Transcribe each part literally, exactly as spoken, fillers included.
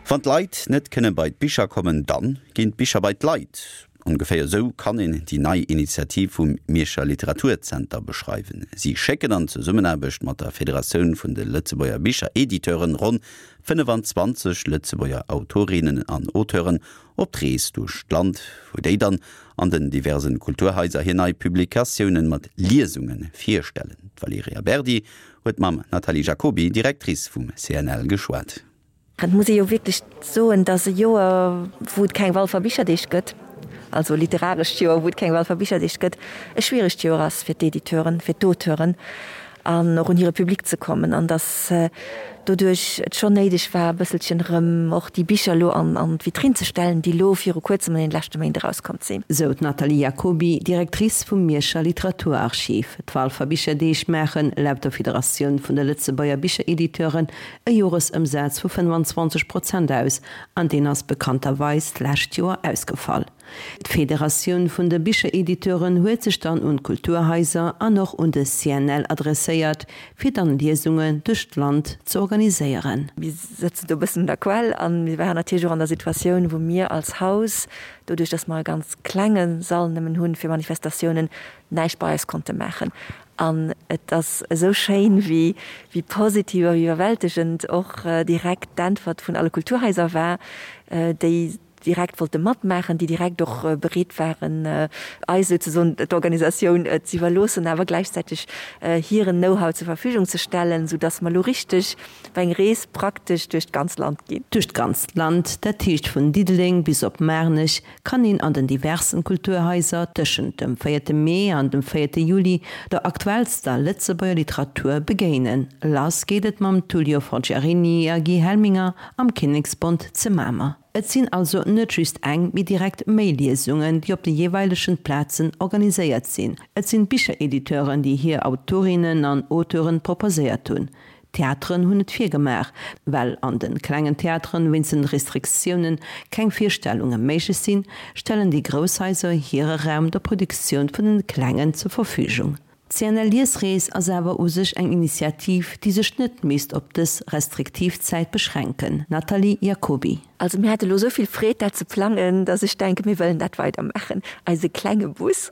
Wann d'Leit net kënne bei d'Bicher kommen, dann ginn d'Bicher bei d'Leit. Ongeféier esou kann een déi nei Initiativ vum Mierscher Literaturzenter beschreiwen. Si schécken an Zesummenaarbecht mat der Federatioun vun de Lëtzebuerger Bicherediteuren ronn fënnefanzwanzeg Lëtzebuerger Autorinnen an Auteuren op d'Rees duerch d'Land, wou déi dann an den diversen Kulturhaiser hir nei Publikatiounen mat Liesunge virstellen. D'Valerija Berdi huet mam Nathalie Jacoby, Directrice vum C N L, geschwat. Et muss ee jo wierklech soen, dass e Joer, wou et keng Walfer Bicherdeeg gëtt, also literarescht Joer, wou et keng Walfer Bicherdeeg gëtt, e schwieregt Joer ass fir d'Editeuren, fir d'Auteuren an och un hire Public ze kommen, an dass doduerch et schonn néideg war, e bësselchen erëm och déi Bicher elo an an d'Vitrinn ze stellen, déi elo viru kuerzem an deene leschte Méint erauskomm sinn. Sou d'Nathalie Jacoby, Directrice vum Mierscher Literaturarchiv. D'Walfer Bicherdeeg maachen, laut der Federatioun vun de Lëtzebuerger Bicherediteuren, e Joresëmsaz vu fënnefenzwanzeg Prozent aus, an deen ass bekannterweis d'lescht Joer ausgefall. D'Federatioun vun de Bicherediteuren huet sech dann un d'Kulturhaiser an och un de C N L adresséiert, fir dann Liesungen duerch d'Land ze organiséieren. Mir sëtzen do e bëssen un der Quell a mir waren natierlech och an der Situatioun, wou mir als Haus, doduerch datt mer e ganz klenge Sall nëmmen hunn fir Manifestatiounen, näischt bei eis konnte maachen. An et ass esou schéin, wéi wéi positiv a wéi iwwerwältegend och direkt d'Äntwert vun alle Kulturhaiser war, déi direkt wollte matmaachen, déi direkt och bereet waren, eis souzesoen d'Organisatioun ze iwwerloossen, awer gläichzäiteg hiren Know-how zur Verfügung ze stellen, soudass mer elo richteg op eng Rees praktesch duerch d'ganz Land ginn. Duerch d'ganzt Land, dat heescht vun Diddeleng bis op Maarnech, kann een an den diversen Kulturhaiser tëschent dem véierte Mee an dem véierte Juli der aktuellster Lëtzebuerger Literatur begéinen. Lass geet et mam Tullio Forgiarini a Guy Helminger am Kinneksbond ze Mamer. Et sinn also net just eng, mee direkt méi Liesungen, déi op de jeeweilegen Plazen organiséiert sinn. Et sinn d'Bicherediteuren, déi hir Autorinnen an Auteuren proposéiert hunn. Theateren hunn et virgemaach, well an de klengen Theateren wéinst den Restriktiounen keng Virstellunge méiglech sinn, stellen déi grouss Haiser hire Raum der Produktioun vun den klengen zur Verfügung. D'C N L-Liesrees ass awer u sech eng Initiativ, déi sech net misst op dës restriktiv Zäit beschränken. Nathalie Jacoby. Also mir hate lo esou vill Freed dat ze plangen, dass ech denken, mir wëllen dat weidermaachen. Eise klenge Bus,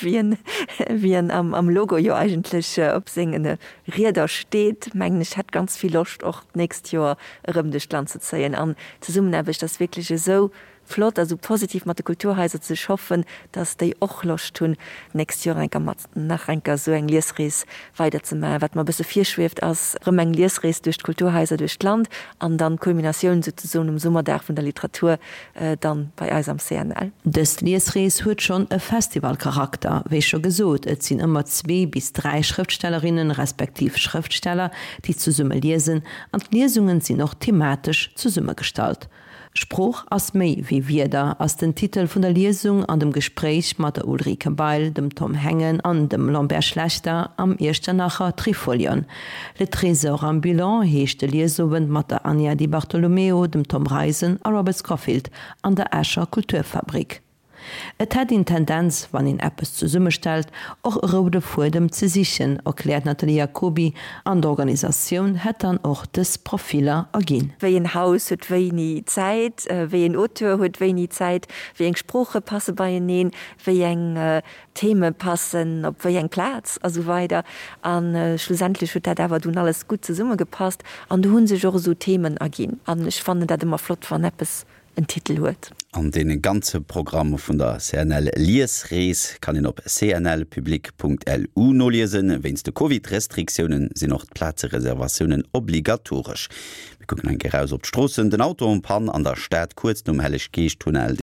wéi en, wéi en am, am Logo jo eigentlech op sengen Rieder steet, mengen ech, hätt ganz vill Loscht och d'nächst Joer erëm duerch d'Land ze zéien. An d'Zesummenaarbecht ass wierklech esou flott a sou positiv mat de Kulturhaiser ze schaffen, dass déi och Loscht hunn, d'nächst Joer enker mat nach enker sou eng Liesrees weider ze maachen. Wat mer e bësse virschwieft, ass erëm eng Liesrees duerch d'Kulturhaiser duerch d'Land an dann d'Kulminatioun souzesoen um Summerdag vun der Literatur dann bei eis am C N L. Dës Liesrees huet schonn e Festivalcharakter. Wéi scho gesot, et sinn ëmmer zwee bis dräi Schrëftstellerinnen, respektiv Schrëftsteller, déi zesumme liesen, an d'Liesungen sinn och thematesch zesummegestallt. Sprooch ass méi wéi Wierder ass den Titel vun der Liesung an dem Gespréich mat der Ulrike Bail, dem Tom Hengen an dem Lambert Schlechter am Iechternacher Trifolion. Le Trésor ambulant heescht de Liesowend mat der Anja Di Bartolomeo, dem Tom Reisen a Robert Scofield an der Escher Kulturfabrik. Et hätt een d'Tendenz, wann een eppes zesummestellt, och e roude Fuedem ze sichen, erkläert d'Nathalie Jacoby, an d'Organisatioun hätt dann och dës Profiller erginn. Wéi en Haus huet wéini Zäit, wéi en Auteur huet wéini Zäit, wéi eng Sprooche passe beieneen, wéi eng Theme passen op wéi eng Plaz a sou weider. A schlussendlech huet dat awer dunn alles gutt zesummegepasst an do hu sech och esou Themen erginn. An ech fannen dat ëmmer flott, wann eppes en Titel huet. An dee ganze Programm vun der C N L Liesrees kann een op C N L public Punkt L U noliesen. Wéinst de Covid-Restriktiounen sinn och d'Plazereservatiounen obligatoresch. Mir kucken eng Kéier raus op d'Stroossen. Den Auto en panne an der Stad kuerz nom Helleg-Geescht-Tunnel.